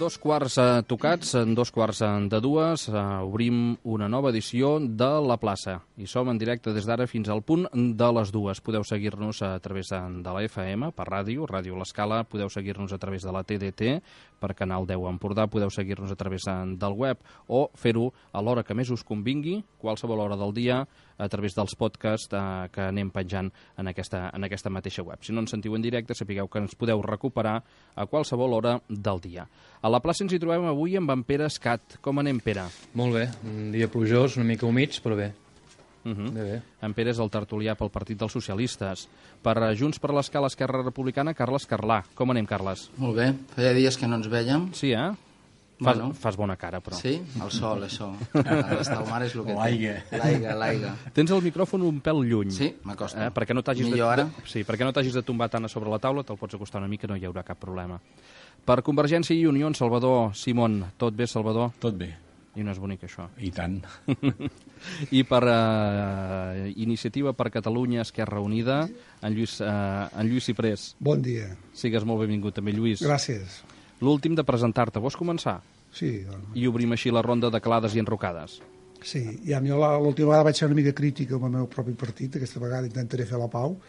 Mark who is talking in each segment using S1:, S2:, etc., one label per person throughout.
S1: Dos quarts tocats, en 2:45, obrim una nova edició de La Plaça. I som en directe des d'ara fins al punt de les 2. Podeu seguir-nos a través de la FM, per ràdio, Ràdio L'Escala, podeu seguir-nos a través de la TDT, per Canal 10 Empordà, podeu seguir-nos a través del web o fer-ho a l'hora que més us convingui, qualsevol hora del dia, a través dels podcasts que anem penjant en aquesta mateixa web. Si no ens sentiu en directe, sapigueu que ens podeu recuperar a qualsevol hora del dia. A la plaça ens hi trobem avui amb en Pere Escat. Com anem, Pere?
S2: Molt bé, un dia plujós, una mica humits, però bé. Bé.
S1: En Pere és el tertulià pel Partit dels Socialistes. Per Junts per l'Escala Esquerra Republicana, Carles Carlà. Com anem, Carles?
S3: Molt bé, feia dies que no ens vèiem.
S1: Sí, eh? Fas bona cara, però.
S3: Sí? El sol, això. Estar al mar és el que
S2: L'aigua.
S3: L'aigua.
S1: Tens el micròfon un pèl lluny.
S3: Sí, m'acosta.
S1: Perquè no t'hagis
S3: Millor ara?
S1: Sí, perquè no t'hagis de tombar tant a sobre la taula, te'l pots acostar una mica, no hi haurà cap problema. Per Convergència i Unió, en Salvador Simón. Tot bé, Salvador?
S4: Tot bé.
S1: I no és bonic, això.
S4: I tant.
S1: I per Iniciativa per Catalunya, Esquerra Unida, en Lluís Ciprés.
S5: Bon dia.
S1: Sigues molt benvingut també, Lluís.
S5: Gràcies.
S1: L'últim de presentar-te. Vols començar?
S5: Sí.
S1: I obrim així la ronda de calades i enrocades.
S5: Sí, ja jo l'última vegada vaig ser una mica crítica amb el meu propi partit, aquesta vegada intentaré fer la pau.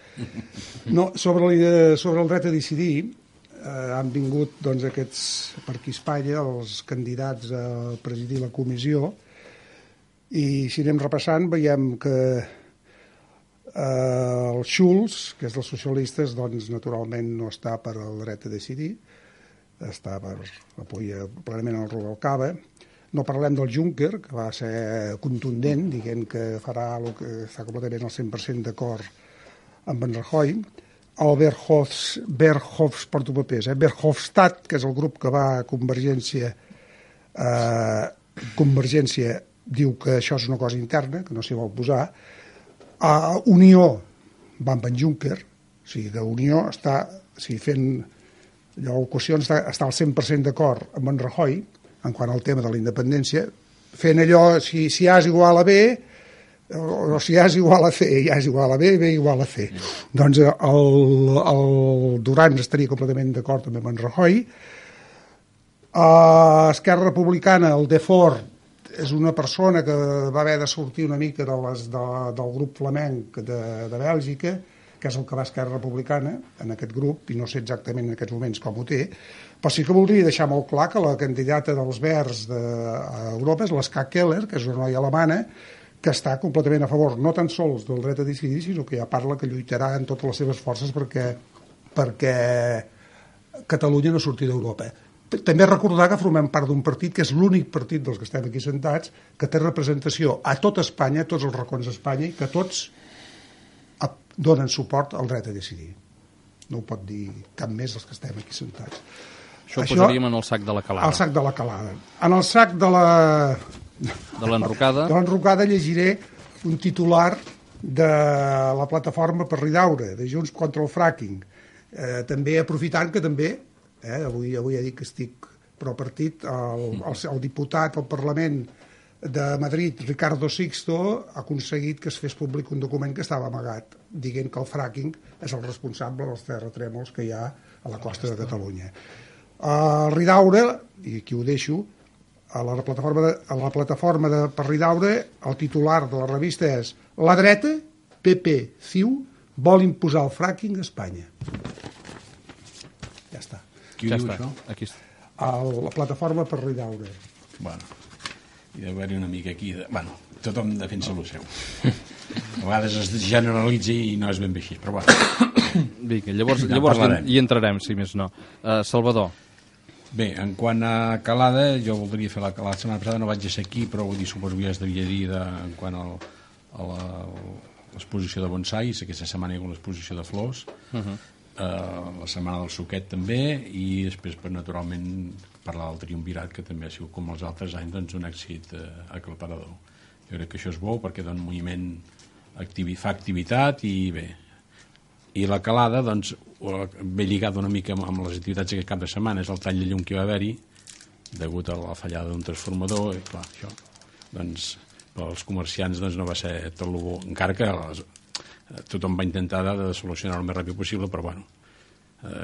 S5: No, sobre el dret a decidir, han vingut doncs, aquests, per aquí a Espanya, els candidats a presidir la comissió, i si anem repassant veiem que el Schulz, que és dels socialistes, doncs naturalment no està per al dret a decidir, està per apoyar plenament el Rubalcaba. No parlem del Juncker, que va ser contundent, dient que farà el que està completament al 100% d'acord amb en Rajoy. El Verhofstadt, que és el grup que va a Convergència, diu que això és una cosa interna, que no s'hi vol posar. Unió va amb en Juncker, o sigui que Unió està fent l'ocasions, està al 100% d'acord amb en Rajoy en quant al tema de la independència, fent allò, si A és igual a B, o si A és igual a C, A és igual a B, B igual a C. Doncs el Duran estaria completament d'acord també amb en Rajoy. Esquerra Republicana, el Defort, és una persona que va haver de sortir una mica del grup flamenc de Bèlgica, que és el que va a Esquerra Republicana, en aquest grup, i no sé exactament en aquests moments com ho té, però sí que voldria deixar molt clar que la candidata dels Verds d'Europa és l'Ska Keller, que és una noia alemana, que està completament a favor, no tan sols del dret a decidir, sinó que ja parla que lluitarà en totes les seves forces perquè Catalunya no surti d'Europa. També recordar que formem part d'un partit que és l'únic partit dels que estem aquí sentats que té representació a tot Espanya, a tots els racons d'Espanya, i que tots donen suport al dret a decidir. No ho pot dir cap més dels que estem aquí sentats.
S1: Això ho posaríem en el sac de la calada.
S5: El sac de la calada. En el sac de
S1: l'enrocada.
S5: De l'enrocada llegiré un titular de la plataforma per Ridaura, de Junts contra el fracking. També aprofitant que també, avui he dit que estic pro partit, el diputat al Parlament de Madrid, Ricardo Sixto, ha aconseguit que es fes públic un document que estava amagat, dient que el fracking és el responsable dels terratrèmols que hi ha a la costa de Catalunya. Ridaura, i aquí ho deixo, a la plataforma per Ridaura, el titular de la revista és La dreta, PP, CiU, vol imposar el fracking a Espanya. Ja està.
S4: Qui ho diu, això?
S1: Aquí està.
S5: La plataforma per Ridaura.
S4: Bueno, hi deu haver-hi una mica aquí bueno, tothom defensa el seu. A vegades es generalitza i no és ben bé així, però bueno.
S1: Vinga, llavors hi entrarem, si més no. Salvador.
S4: Bé, en quant a calada, jo voldria fer la calada. La setmana passada no vaig ser aquí, però suposo que ja es devia dir en quant a l'exposició de bonsais. Aquesta setmana hi ha l'exposició de flors. La setmana del suquet també, i després naturalment parlar del triumvirat, que també ha sigut com els altres anys doncs, un èxit aclaparador. Jo crec que això és bo perquè dona moviment, fa activitat i bé. I la calada doncs, ve lligada una mica amb les activitats d'aquest cap de setmana, és el tall de llum que va haver-hi degut a la fallada d'un transformador, i clar, això doncs, pels comerciants doncs, no va ser tot el bo, encara que tothom va intentar de solucionar-ho el més ràpid possible, però bueno,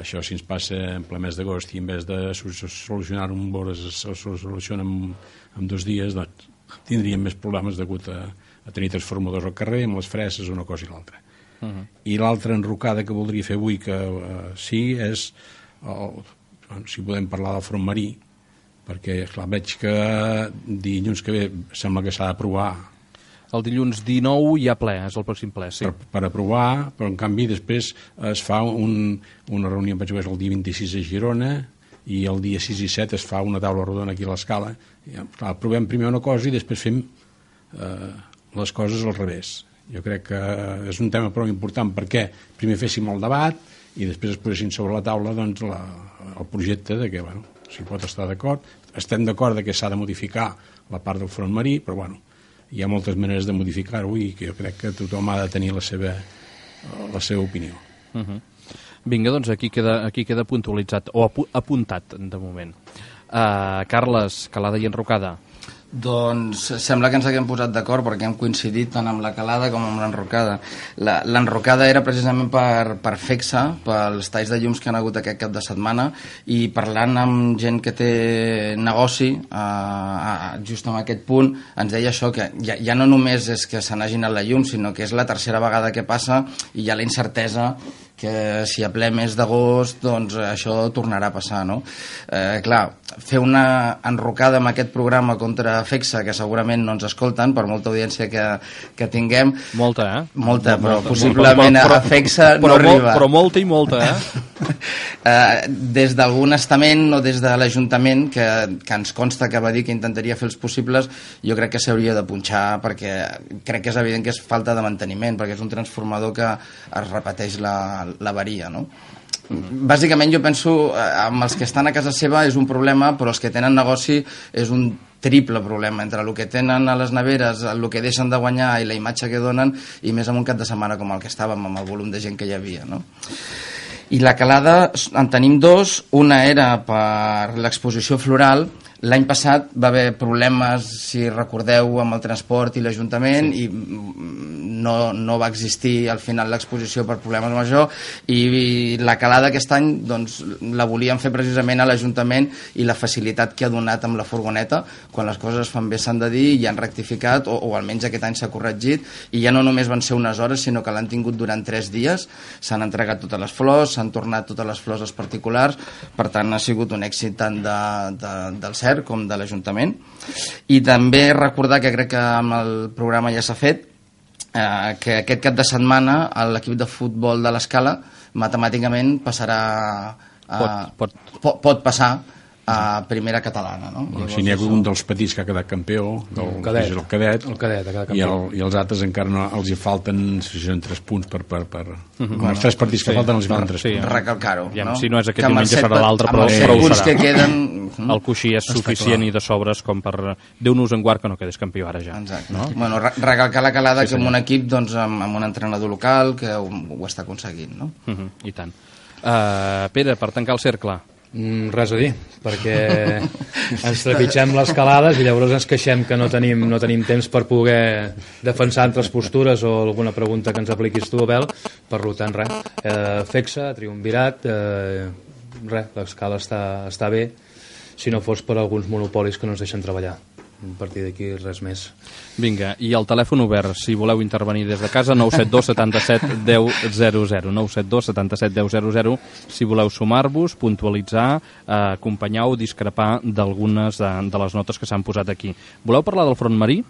S4: això si ens passa en ple mes d'agost i en vez de solucionar-ho en hores se soluciona en 2 dies, doncs tindríem més problemes degut a tenir transformadors al carrer amb les freses, una cosa i l'altra. I l'altra enrocada que voldria fer avui, que sí, és si podem parlar del front marí, perquè clar, veig que dilluns que ve sembla que s'ha d'aprovar.
S1: El dilluns 19 hi ha ple, és el pròxim ple, sí.
S4: Per aprovar, però en canvi després es fa una reunió, penso que és el dia 26 a Girona, i el dia 6 i 7 es fa una taula rodona aquí a l'Escala. Aprovem primer una cosa i després fem les coses al revés. Jo crec que és un tema prou important perquè primer féssim el debat i després es posessin sobre la taula doncs, el projecte de que, bueno, s'hi pot estar d'acord. Estem d'acord que s'ha de modificar la part del front marí, però bueno, hi ha moltes maneres de modificar-ho i que jo crec que tothom ha de tenir la seva opinió.
S1: Vinga, doncs aquí queda puntualitzat o apuntat de moment. Carles, Calada i Enrocada.
S3: Doncs sembla que ens haguem posat d'acord perquè hem coincidit tant amb la calada com amb l'enrocada. L'enrocada era precisament per FECSA, pels talls de llums que han hagut aquest cap de setmana, i parlant amb gent que té negoci just en aquest punt ens deia això, que ja no només és que se n'hagi anat la llum, sinó que és la tercera vegada que passa i hi ha la incertesa que si a ple mes d'agost doncs això tornarà a passar, no? Clar, fer una enrocada amb aquest programa contra FECSA, que segurament no ens escolten, per molta audiència que tinguem...
S1: Molta,
S3: Molta, però possiblement a FECSA no arriba.
S1: Però molta i molta,
S3: Des d'algun estament o des de l'Ajuntament, que ens consta que va dir que intentaria fer els possibles, jo crec que s'hauria de punxar, perquè crec que és evident que és falta de manteniment, perquè és un transformador que es repeteix l'avaria, no? Bàsicament jo penso amb els que estan a casa seva és un problema, però els que tenen negoci és un triple problema, entre el que tenen a les neveres, el que deixen de guanyar i la imatge que donen, i més en un cap de setmana com el que estàvem, amb el volum de gent que hi havia, no? I la calada en tenim 2, una era per l'exposició floral. L'any passat va haver problemes, si recordeu, amb el transport i l'Ajuntament, i no va existir al final l'exposició per problemes majors, i la calada aquest any doncs, la volíem fer precisament a l'Ajuntament, i la facilitat que ha donat amb la furgoneta, quan les coses es fan bé s'han de dir, i han rectificat, o almenys aquest any s'ha corregit, i ja no només van ser unes hores, sinó que l'han tingut durant 3 dies, s'han entregat totes les flors, s'han tornat totes les flors als particulars, per tant ha sigut un èxit tant del CERC com de l'Ajuntament. I també recordar, que crec que amb el programa ja s'ha fet, que aquest cap de setmana l'equip de futbol de l'Escala matemàticament passarà pot passar a primera catalana, no?
S4: Si n'hi ha un dels petits que ha quedat campió, el cadet, i els altres encara no, els hi falten 3 punts per els 3 partits que falten els hi falten 3 punts.
S3: Recalcar-ho, no?
S1: Si no és aquest diumenge serà l'altre, però ho serà. El coixí és suficient i de sobres com per Déu-nos en guard que no quedés campió ara ja.
S3: Exacte. Bueno, recalcar la calada que amb un equip, amb un entrenador local que ho està aconseguint, no?
S1: I tant. Pere, per tancar el cercle.
S2: Res a dir, perquè ens trepitgem les calades i llavors ens queixem que no tenim temps per poder defensar altres postures o alguna pregunta que ens apliquis tu, Abel. Per tant, res, FECSA, triumvirat, l'escala està bé, si no fos per alguns monopolis que no ens deixen treballar. A partir d'aquí res més.
S1: Vinga, i el telèfon obert, si voleu intervenir des de casa, 972 77 10 00, 972 77 10 00, si voleu sumar-vos, puntualitzar, acompanyar o discrepar d'algunes de les notes que s'han posat aquí. Voleu parlar del front marí?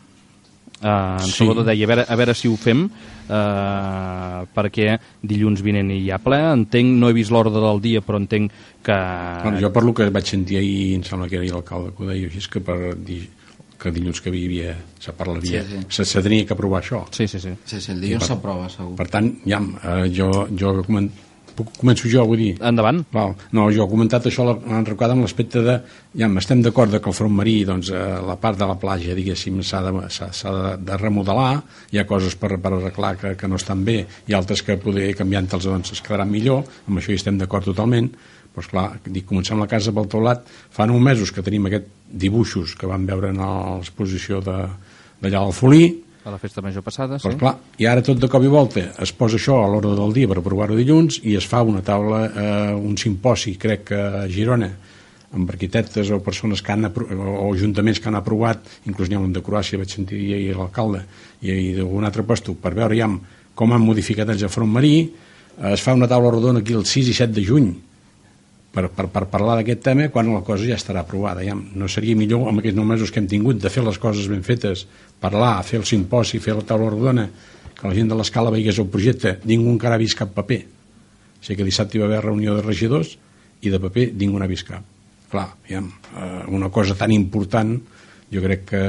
S1: En Salvador deia, a veure si ho fem, perquè dilluns vinent hi ha ple, entenc, no he vist l'ordre del dia, però entenc que...
S4: Bueno, jo per lo que vaig sentir ahir, em sembla que era l'alcalde que ho deia, així que per dir que dilluns que se parlaria, se tenia que aprovar això.
S3: Sí, el dilluns s'aprova, segur.
S4: Per tant, ja, jo començo jo, vull dir...
S1: Endavant.
S4: No, jo he comentat això l'enrocada amb l'aspecte de... Ja, estem d'acord que el front marí, doncs, la part de la platja, diguéssim, s'ha de remodelar, hi ha coses per arreglar que no estan bé, i altres que poder canviant-los doncs, es quedaran millor, amb això hi estem d'acord totalment, Doncs clar, dic, comencem la casa pel teulat, fa 9 mesos que tenim aquests dibuixos que vam veure en l'exposició d'allà al Folí,
S1: a la festa major passada, sí.
S4: Doncs clar, i ara tot de cop i volta es posa això a l'ordre del dia per aprovar-ho dilluns i es fa una taula, un simposi, crec que a Girona, amb arquitectes o persones que o ajuntaments que han aprovat, inclús n'hi ha un de Croàcia, vaig sentir ahir l'alcalde, i d'algun altre lloc, per veure ja com han modificat el front marí. Es fa una taula rodona aquí el 6 i 7 de juny per parlar d'aquest tema, quan la cosa ja estarà aprovada. Ja no seria millor, amb aquests 9 mesos que hem tingut, de fer les coses ben fetes, parlar, fer el simposi, fer la taula rodona, que la gent de l'Escala veigués el projecte. Ningú encara ha vist cap paper. O sigui que dissabte hi va haver reunió de regidors i de paper ningú n'ha vist cap. Clar, una cosa tan important jo crec que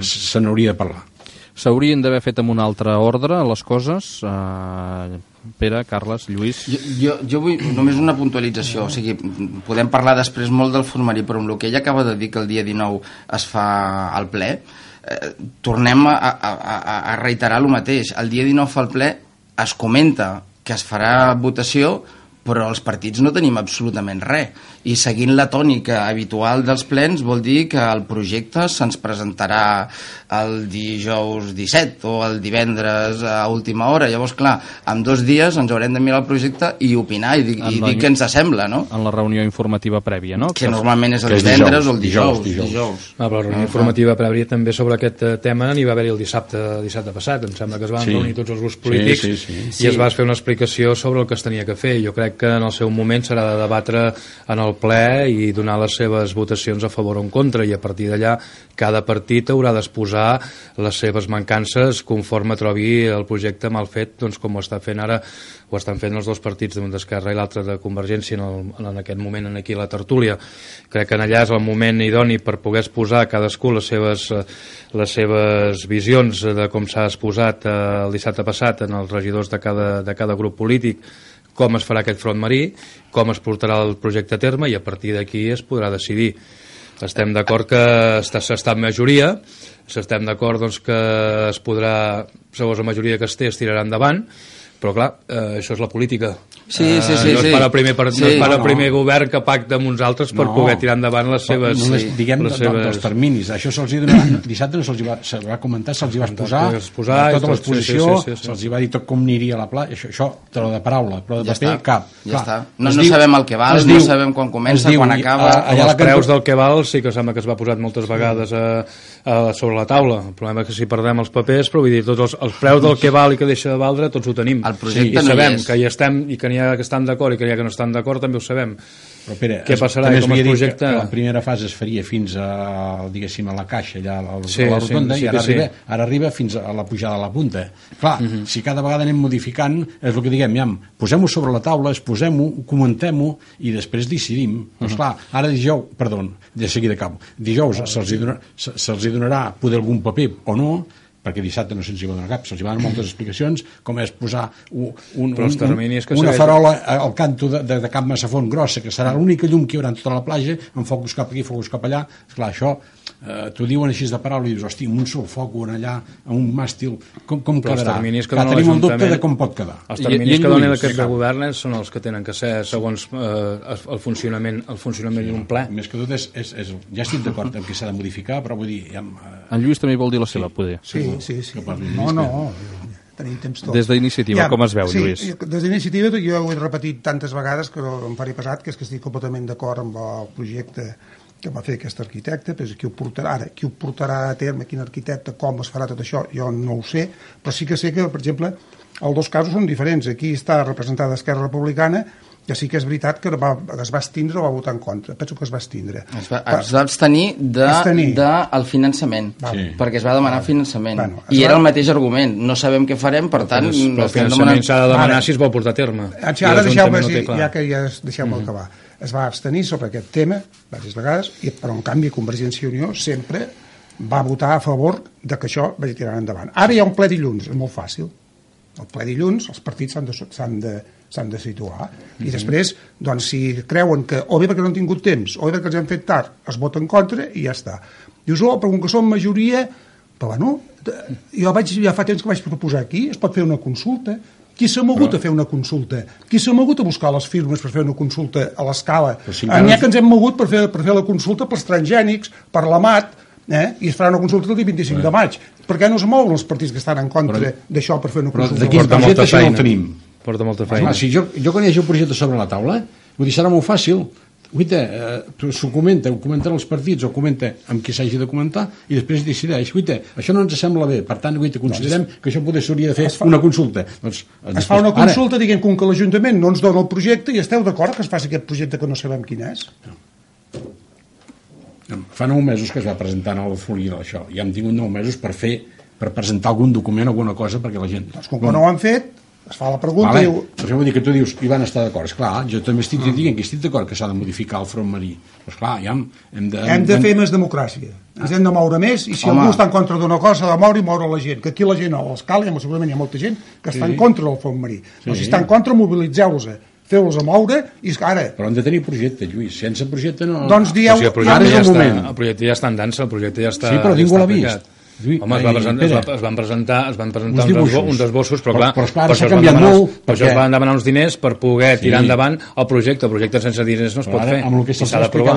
S4: se n'hauria de parlar.
S1: S'haurien d'haver fet amb un altre ordre les coses, Pere, Carles, Lluís.
S3: Jo vull només una puntualització, o sigui, podem parlar després molt del formarí, però amb el que ell acaba de dir que el dia 19 es fa al ple, tornem a reiterar el mateix. El dia 19 fa el ple, es comenta que es farà votació, però els partits no tenim absolutament res. I seguint la tònica habitual dels plens vol dir que el projecte se'ns presentarà el dijous 17 o el divendres a última hora. Llavors, clar, en 2 dies ens haurem de mirar el projecte i opinar i dir què ens sembla, no?
S1: En la reunió informativa prèvia, no?
S3: Que normalment és el divendres o el dijous.
S2: La reunió informativa prèvia també sobre aquest tema n'hi va haver-hi el dissabte passat. Em sembla que es van reunir tots els grups polítics i es va fer una explicació sobre el que es tenia que fer. Jo crec que en el seu moment serà de debatre en el ple i donar les seves votacions a favor o en contra, i a partir d'allà cada partit haurà d'exposar les seves mancances conforme trobi el projecte mal fet, doncs com ho està fent ara, ho estan fent els 2 partits, un d'Esquerra i l'altre de Convergència en aquest moment aquí a la tertúlia. Crec que allà és el moment idoni per poder exposar cadascú les seves visions de com s'ha exposat el dissabte passat en els regidors de cada grup polític, com es farà aquest front marí, com es portarà el projecte a terme, i a partir d'aquí es podrà decidir. Estem d'acord que s'està en majoria, estem d'acord doncs, que es podrà, segons la majoria que es té, es tirarà endavant, però clar, això és la política.
S3: Sí.
S2: No es para el primer govern que pacta amb uns altres per poder tirar endavant les seves...
S4: Diguem dels terminis. Això se'ls va donar, dissabte no se'ls va comentar, se'ls va exposar tota l'exposició, se'ls va dir tot com aniria a la plaça, això de la paraula, però de paper cap.
S3: Ja està. No sabem el que val, no sabem quan comença, quan acaba...
S2: Els preus del que val sí que sembla que es va posar moltes vegades sobre la taula. El problema és que si perdem els papers, però vull dir, tots els preus del que val i que deixa de valdre, tots ho tenim. I sabem que hi estem i que n'hi ha que estan d'acord i que n'hi ha que no estan d'acord, també ho sabem.
S4: Però Pere,
S2: què passarà i com es projecta?
S4: La primera fase es faria fins a, diguéssim, a la caixa, allà a la rotonda, i ara arriba fins a la pujada a la punta. Clar, si cada vegada anem modificant, és el que diguem, posem-ho sobre la taula, exposem-ho, comentem-ho i després decidim. Doncs clar, ara de seguida acabo. Dijous se'ls donarà poder algun paper o no, perquè dissabte no se'ls hi va donar cap, se'ls hi van donar moltes explicacions, com és posar una farola al canto de Cap Massafont grossa, que serà l'única llum que hi haurà en tota la platja, amb focus cap aquí, focus cap allà. Esclar, això t'ho diuen així de paraula i dius, hosti, amb un sol foc allà, amb un màstil, com quedarà? Tenim el dubte de com pot quedar.
S2: Els terminis que donen aquest govern són els que tenen que ser segons el funcionament d'un ple.
S4: Més que tot ja estic d'acord amb que s'ha de modificar, però vull dir...
S1: En Lluís també vol dir la seva, poder.
S5: Sí. No, tenim temps tot.
S1: Des d'Iniciativa, com es veu, Lluís?
S5: Des d'Iniciativa jo ho he repetit tantes vegades que em faré pesat, que és que estic completament d'acord amb el projecte que va fer aquest arquitecte, però qui ho portarà a terme, quin arquitecte, com es farà tot això, jo no ho sé, però sí que sé que, per exemple, els 2 casos són diferents. Aquí està representada Esquerra Republicana, que sí que és veritat que es va abstindre o va votar en contra. Penso que es va abstindre.
S3: Es va abstenir del finançament, perquè es va demanar finançament. I era el mateix argument. No sabem què farem, per tant...
S2: Però el finançament s'ha de demanar si es vol portar a terme.
S5: Ara deixeu-me acabar. Es va abstenir sobre aquest tema diverses vegades, però en canvi Convergència i Unió sempre va votar a favor de que això vagi tirant endavant. Ara hi ha un ple dilluns, és molt fàcil. El ple dilluns els partits s'han de situar i després, doncs, si creuen que o bé perquè no han tingut temps o bé perquè els han fet tard, es vota en contra i ja està. Dius, però com que som majoria, però bueno, jo ja fa temps que vaig proposar aquí, es pot fer una consulta, Qui s'ha mogut a fer una consulta? Qui s'ha mogut a buscar les firmes per fer una consulta a l'escala? N'hi ha que ens hem mogut per fer la consulta pels transgènics, per l'AMAT, i es farà una consulta el dia 25 de maig. Per què no es mouen els partits que estan en contra d'això per fer una consulta?
S4: Però d'aquí projecte això no el tenim.
S2: Porta molta feina.
S4: Si jo quan hi hagi un projecte sobre la taula, vull dir, serà molt fàcil. S'ho comenta, ho comenten els partits, o comenta amb qui s'hagi de comentar, i després decideix, això no ens sembla bé, per tant, considerem que això potser s'hauria de fer una consulta.
S5: Es fa una consulta, diguem que l'Ajuntament no ens dona el projecte i esteu d'acord que es faci aquest projecte que no sabem quin és?
S4: Fa 9 mesos que es va presentar el Folguera, això. Ja hem tingut 9 mesos per presentar algun document, alguna cosa, perquè la gent...
S5: Doncs com que no ho han fet, es fa la pregunta i diu...
S4: Això vol dir que tu dius, hi van estar d'acord. Esclar, jo també estic dient que estic d'acord que s'ha de modificar el front marí. Però esclar, ja hem
S5: de fer més democràcia. Ens hem de moure més, i si algú està en contra d'una cosa, s'ha de moure i moure la gent. Que aquí la gent, a l'escala, segurament hi ha molta gent que està en contra del front marí. Però si està en contra, mobilitzeu-los, feu-los a moure, i ara...
S4: Però han de tenir projecte, Lluís. Sense projecte no...
S5: Doncs dieu...
S2: El projecte ja està en dansa, el projecte ja està...
S4: Sí, però ningú l'ha vist.
S2: Home, es van presentar uns esbossos, però clar,
S4: per això
S2: es van demanar uns diners per poder tirar endavant el projecte sense diners no es pot fer,
S4: i s'ha d'aprovar.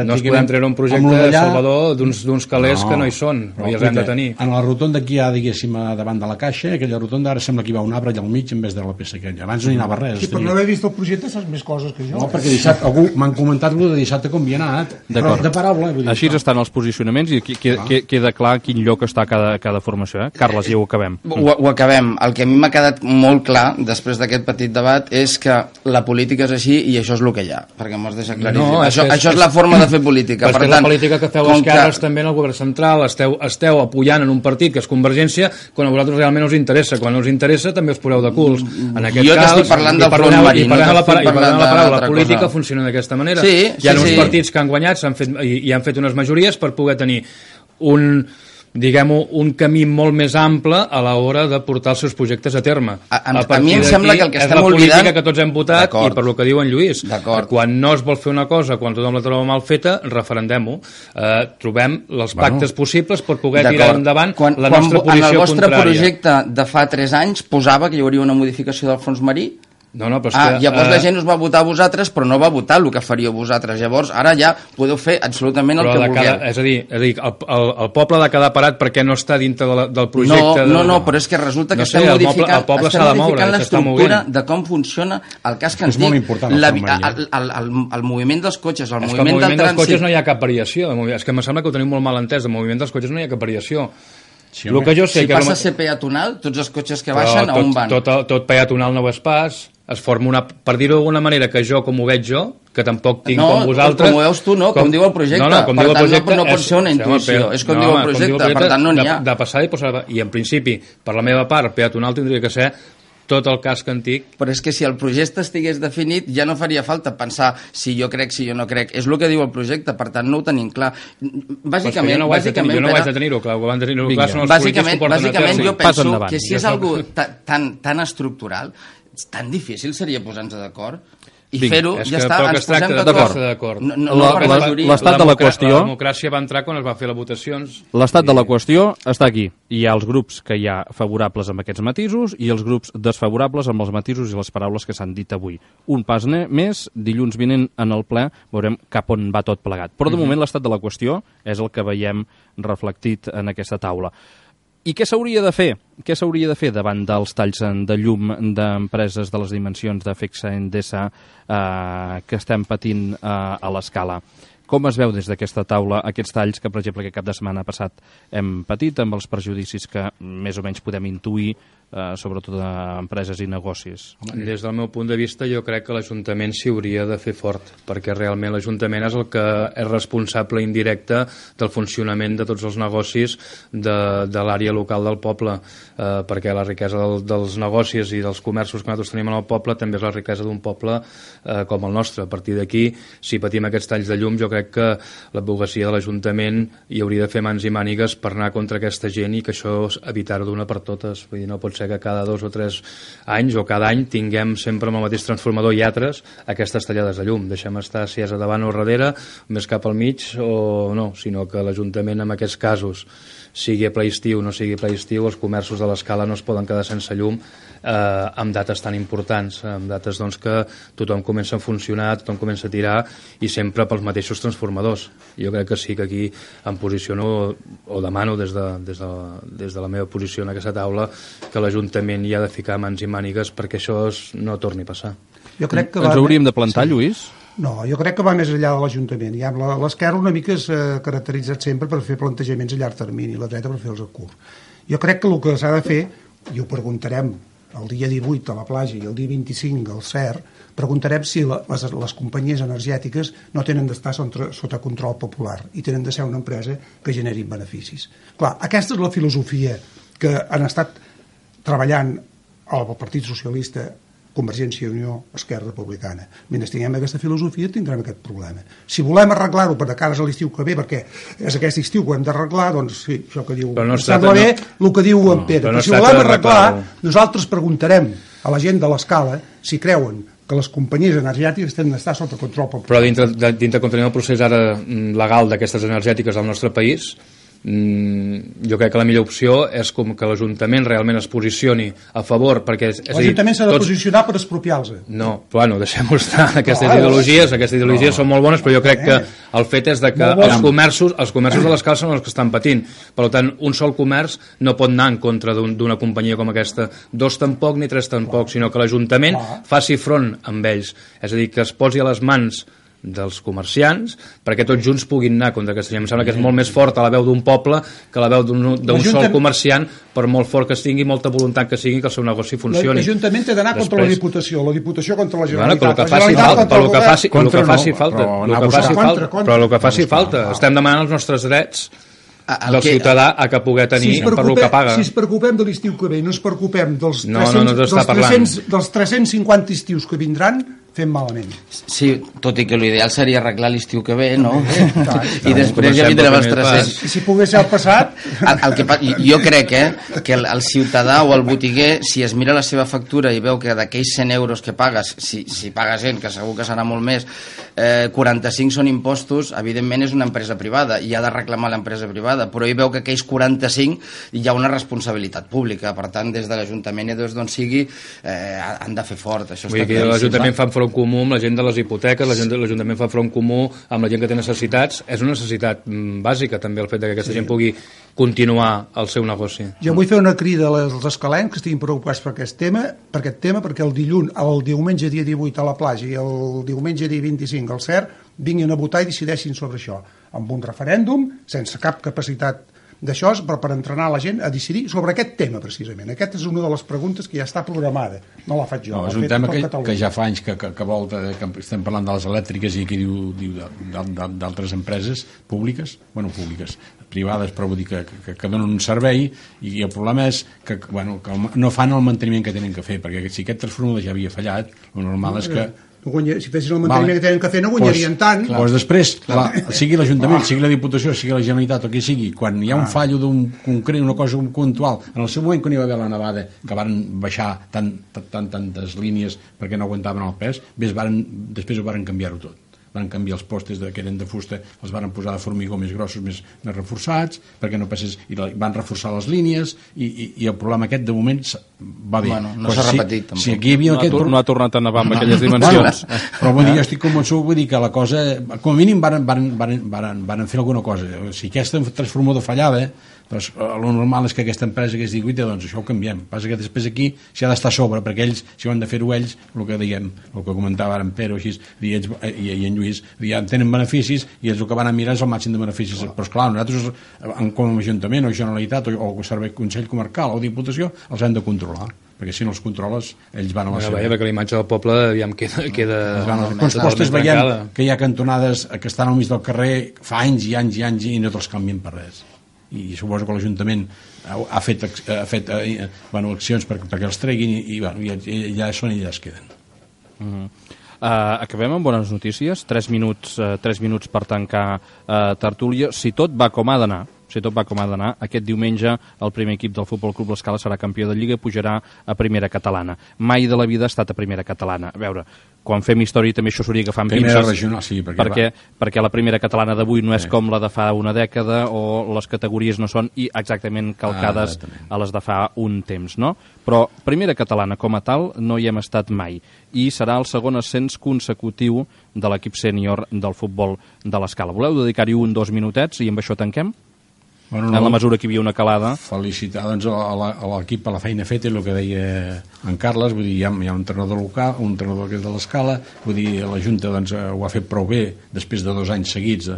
S2: No es podem treure un projecte Salvador d'uns calés que no hi són, no hi els hem de tenir.
S4: En la rotonda que hi ha, diguéssim, davant de la caixa, aquella rotonda ara sembla que hi va un arbre allà al mig en vez de la peça aquella. Abans no hi anava res.
S5: Sí, per no haver vist el projecte saps més coses que jo.
S4: No, perquè algú m'han comentat de dissabte com hi ha anat, de paraula.
S1: Així estan els posicionaments i queda clar quin lloc està cada formació. Carles, ja ho acabem.
S3: Ho acabem. El que a mi m'ha quedat molt clar després d'aquest petit debat és que la política és així i això és el que hi ha, perquè m'ho has deixat claríssim. Això és la forma de fer política.
S2: Per tant, la política que feu esquerres també en el govern central, esteu apoyant en un partit que és Convergència quan a vosaltres realment us interessa. Quan no us interessa també us poseu de culs.
S3: Jo t'estic parlant del front marí.
S2: I parlant la paraula política funciona d'aquesta manera. Hi ha uns partits que han guanyat i han fet unes majories per poder tenir un camí molt més ample a l'hora de portar els seus projectes a terme.
S3: A mi em sembla que el que estem oblidant...
S2: És la política que tots hem votat i per lo que diu en Lluís. Quan no es vol fer una cosa, quan tothom la troba mal feta, referendem-ho. Trobem els pactes possibles per poder tirar endavant la nostra posició contrària.
S3: En el vostre projecte de fa 3 anys posava que hi hauria una modificació del fons marí? Llavors la gent us va votar a vosaltres, però no va votar el que faríeu vosaltres. Llavors, ara ja podeu fer absolutament el que vulgueu.
S2: És a dir, el poble ha de quedar parat perquè no està dintre del projecte...
S3: No, però és que resulta que estem modificant l'estructura de com funciona el casc antic, el moviment dels cotxes, el moviment del trànsit...
S2: El moviment dels cotxes no hi ha cap variació. És que em sembla que ho tenim molt mal entès. El moviment dels cotxes no hi ha cap variació.
S3: Si passa a ser peatonal, tots els cotxes que baixen, a on van?
S2: Tot peatonal no ho és pas. Es forma per dir-ho d'alguna manera, que jo, com ho veig jo, que tampoc tinc com vosaltres...
S3: No, com ho veus tu, no, com diu el projecte. Per tant, no pot ser una intuïció, és com diu el projecte, per tant no n'hi ha.
S2: De passar i posar... I en principi, per la meva part, peatonal tindria que ser tot el casc antic.
S3: Però és que si el projecte estigués definit ja no faria falta pensar si jo crec, si jo no crec. És el que diu el projecte, per tant no ho tenim clar.
S2: Bàsicament, jo no ho haig de tenir-ho clar, ho van tenir-ho clar, són els polítics que ho porten a terme.
S3: Bàsicament jo penso que si és algo tan estructural, tan difícil seria posar-nos d'acord i fer-ho, ja està, ens posem d'acord.
S1: L'estat de la qüestió...
S2: La democràcia va entrar quan es va fer les votacions.
S1: L'estat de la qüestió està aquí. Hi ha els grups que hi ha favorables amb aquests matisos i els grups desfavorables amb els matisos i les paraules que s'han dit avui. Un pas més, dilluns vinent en el ple veurem cap on va tot plegat. Però de moment l'estat de la qüestió és el que veiem reflectit en aquesta taula. I què s'hauria de fer? Què s'hauria de fer davant dels talls de llum d'empreses de les dimensions d'Afexa Endesa que estem patint a l'escala? Com es veu des d'aquesta taula aquests talls que, per exemple, aquest cap de setmana passat hem patit amb els perjudicis que més o menys podem intuir, sobretot a empreses i negocis?
S2: Des del meu punt de vista, jo crec que l'Ajuntament s'hi hauria de fer fort, perquè realment l'Ajuntament és el que és responsable indirecte del funcionament de tots els negocis de l'àrea local del poble, perquè la riquesa dels negocis i dels comerços que nosaltres tenim en el poble també és la riquesa d'un poble com el nostre. A partir d'aquí, si patim aquests talls de llum, jo crec que l'advocacia de l'Ajuntament hi hauria de fer mans i mànigues per anar contra aquesta gent i que això evitar-ho d'una per totes. Vull dir, no pot ser ser que cada 2 o 3 anys o cada any tinguem sempre amb el mateix transformador i altres aquestes tallades de llum. Deixem estar si és a davant o a darrere, més cap al mig o no, sinó que l'Ajuntament en aquests casos, sigui ple estiu o no sigui ple estiu, els comerços de l'escala no es poden quedar sense llum amb dates tan importants, amb dates doncs, que tothom comença a funcionar, tothom comença a tirar i sempre pels mateixos transformadors. Jo crec que sí que aquí em posiciono o demano des de la meva posició en aquesta taula que l'Ajuntament hi ha de ficar mans i mànigues perquè això no torni a passar.
S5: Jo crec que
S1: Ens hauríem de plantar, Lluís?
S5: No, jo crec que va més enllà de l'Ajuntament. Ja, l'esquerra una mica s'ha caracteritzat sempre per fer plantejaments a llarg termini, la dreta per fer-los a curt. Jo crec que el que s'ha de fer, i ho preguntarem el dia 18 a la platja i el dia 25 al CER, preguntarem si les companyies energètiques no tenen d'estar sota control popular i tenen de ser una empresa que generi beneficis. Clar, aquesta és la filosofia que han estat treballant el Partit Socialista, Convergència i Unió, Esquerra Republicana. Mentre tinguem aquesta filosofia tindrem aquest problema. Si volem arreglar-ho per de cares a l'estiu que ve, perquè és aquest estiu que ho hem d'arreglar, doncs sí, això que diu...
S2: No
S5: sembla bé el que diu en Pere. Però si volem arreglar, nosaltres preguntarem a la gent de l'escala si creuen que les companyies energètiques tenen d'estar sota control popular.
S2: Però dintre continuem el procés ara legal d'aquestes energètiques al nostre país, jo crec que la millor opció és com que l'Ajuntament realment es posicioni a favor, perquè
S5: l'Ajuntament s'ha de posicionar per expropiar-se.
S2: No, bueno, deixem-ho estar. Aquestes ideologies són molt bones, però jo crec que el fet és que els comerços de l'escala són els que estan patint. Per tant, un sol comerç no pot anar en contra d'una companyia com aquesta, 2 tampoc ni 3 tampoc, sinó que l'Ajuntament faci front amb ells, és a dir, que es posi a les mans dels comerciants perquè tots junts puguin anar contra aquesta gent. Em sembla que és molt més forta la veu d'un poble que la veu d'un sol comerciant, per molt fort que tingui, molta voluntat que sigui que el seu negoci funcioni.
S5: L'Ajuntament té d'anar contra la Diputació contra la Generalitat.
S2: Però el que faci falta. Estem demanant els nostres drets del ciutadà a que poder tenir per lo que paga.
S5: Si ens preocupem de l'estiu que ve, no ens preocupem dels 350 estius que vindran, fem malament.
S3: Sí, tot i que l'ideal seria arreglar l'estiu que ve, no? I després ja vindrem els 300.
S5: I si pogués ser el passat...
S3: Jo crec que el ciutadà o el botiguer, si es mira la seva factura i veu que d'aquells 100 euros que pagues, si paga gent, que segur que serà molt més, 45 són impostos, evidentment és una empresa privada i ha de reclamar l'empresa privada, però ell veu que aquells 45 hi ha una responsabilitat pública. Per tant, des de l'Ajuntament i d'on sigui, han de fer fort. Això està claríssim.
S2: L'Ajuntament fa front comú amb la gent de les hipoteques, l'Ajuntament fa front comú amb la gent que té necessitats. És una necessitat bàsica també el fet que aquesta gent pugui continuar el seu negoci.
S5: Jo vull fer una crida als escalencs que estiguin preocupats per aquest tema, perquè el diumenge dia 18 a la platja i el diumenge dia 25 al CER vinguin a votar i decideixin sobre això, amb un referèndum, sense cap capacitat d'això, però per entrenar la gent a decidir sobre aquest tema, precisament. Aquesta és una de les preguntes que ja està programada. No la faig jo.
S4: No, és un tema que ja fa anys que volta, que estem parlant de les elèctriques i aquí diu d'altres empreses públiques, privades, però vull dir que donen un servei, i el problema és que no fan el manteniment que tenen que fer, perquè si aquest transformador ja havia fallat, el normal és que
S5: si fessin el manteniment que tenen que fer no guanyarien tant.
S4: Doncs després, sigui l'Ajuntament, sigui la Diputació, sigui la Generalitat o qui sigui, quan hi ha un fallo una cosa puntual, en el seu moment quan hi va haver la nevada que van baixar tantes línies perquè no aguantaven el pes, després ho van canviar-ho tot. Van canviar els postes que eren de fusta, els van posar de formigó més grossos, més reforçats, perquè no passés, i van reforçar les línies, i el problema aquest de moment va bé.
S3: No s'ha repetit, tampoc.
S4: Si aquí hi havia
S1: no ha tornat a nevar amb aquelles dimensions.
S4: Però jo estic convençut, vull dir que la cosa, com a mínim van fer alguna cosa. Si aquest transformador fallava, doncs el normal és que aquesta empresa que es digui, doncs això ho canviem. Passa que després aquí s'ha d'estar a sobre, perquè ells, si ho han de fer-ho ells, el que comentava ara en Pere així, i en Lluís, ja tenen beneficis i ells el que van a mirar és el màxim de beneficis. Però esclar, nosaltres com a Ajuntament o Generalitat o Servei Consell Comarcal o Diputació els hem de controlar, perquè si no els controles ells van a la seva.
S2: Perquè la imatge del poble queda
S4: quants postes veiem que hi ha cantonades que estan al mig del carrer fa anys i anys i anys i no te'ls canvien per res, i suposo que l'Ajuntament ha fet accions perquè els treguin i ja són i ja es queden.
S1: Acabem amb bones notícies. 3 minuts per tancar tertúlia. Si tot va com ha d'anar, si tot va com ha d'anar, aquest diumenge el primer equip del Futbol Club L'Escala serà campió de Lliga i pujarà a primera catalana. Mai de la vida ha estat a primera catalana. A veure, quan fem història també això s'hauria agafant
S4: primera
S1: pinces,
S4: regional, sí,
S1: perquè la primera catalana d'avui no és com la de fa una dècada, o les categories no són exactament calcades a les de fa un temps, no? Però primera catalana com a tal no hi hem estat mai, i serà el segon ascens consecutiu de l'equip sènior del futbol de l'Escala. Voleu dedicar-hi 1-2 minutets i amb això tanquem? Bueno, no, en la mesura que hi havia una calada.
S4: Felicitar doncs, a l'equip per la feina feta, el que deia en Carles, vull dir, hi ha un entrenador local, un entrenador que és de l'Escala, vull dir, la Junta doncs, ho ha fet prou bé després de 2 anys seguits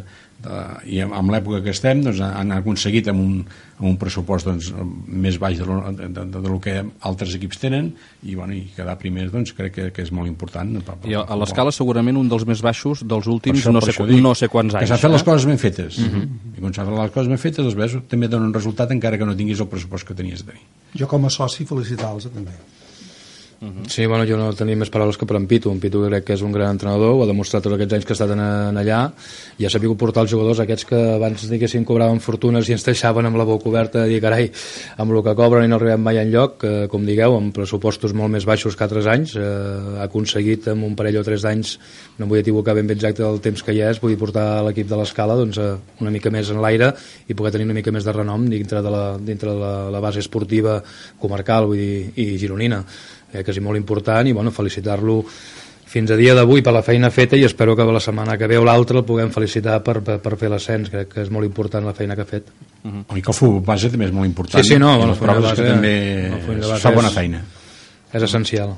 S4: i amb l'època que estem doncs, han aconseguit amb un pressupost doncs, més baix del que altres equips tenen i quedar primers doncs, crec que és molt important.
S1: I a l'Escala segurament un dels més baixos dels últims no sé quants anys.
S4: Que s'han fet les coses ben fetes. I quan s'han fet les coses ben fetes doncs, també donen un resultat encara que no tinguis el pressupost que tenies de tenir.
S5: Jo com a soci felicitar-los també.
S2: Sí, bueno, jo no tenia més paraules que per en Pitu. En Pitu crec que és un gran entrenador, ho ha demostrat tots aquests anys que ha estat allà, i ha sabut portar els jugadors aquests que abans diguéssim cobraven fortunes i ens deixaven amb la boca oberta de dir, carai, amb el que cobren i no arribem mai enlloc, com digueu, amb pressupostos molt més baixos que altres anys, ha aconseguit en un parell o 3 d'anys, no vull equivocar ben bé exacte del temps que hi és, vull portar l'equip de l'Escala doncs, una mica més en l'aire i poder tenir una mica més de renom dintre de la base esportiva comarcal, vull dir, i gironina, que és molt important, i bueno, felicitar-lo fins a dia d'avui per la feina feta, i espero que la setmana que ve o l'altra el puguem felicitar per fer l'ascens. Crec que és molt important la feina que ha fet.
S4: I que el futbol base també és molt important.
S2: Sí, no,
S4: les proves que també fa bona feina.
S2: És essencial.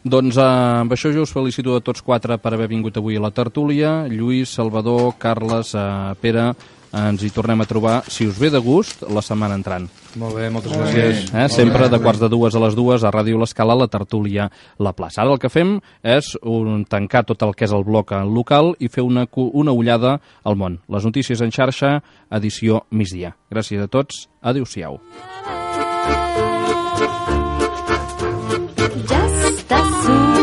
S1: Doncs amb això jo us felicito a tots 4 per haver vingut avui a la tertúlia. Lluís, Salvador, Carles, Pere, ens hi tornem a trobar, si us ve de gust, la setmana entrant.
S2: Molt bé, moltes gràcies.
S1: Sempre de 1:45 a 2 a Ràdio L'Escala, la tertúlia La Plaça. Ara el que fem és tancar tot el que és el bloc local i fer una ullada al món. Les notícies en xarxa, edició migdia. Gràcies a tots, adéu-siau.
S6: Just as soon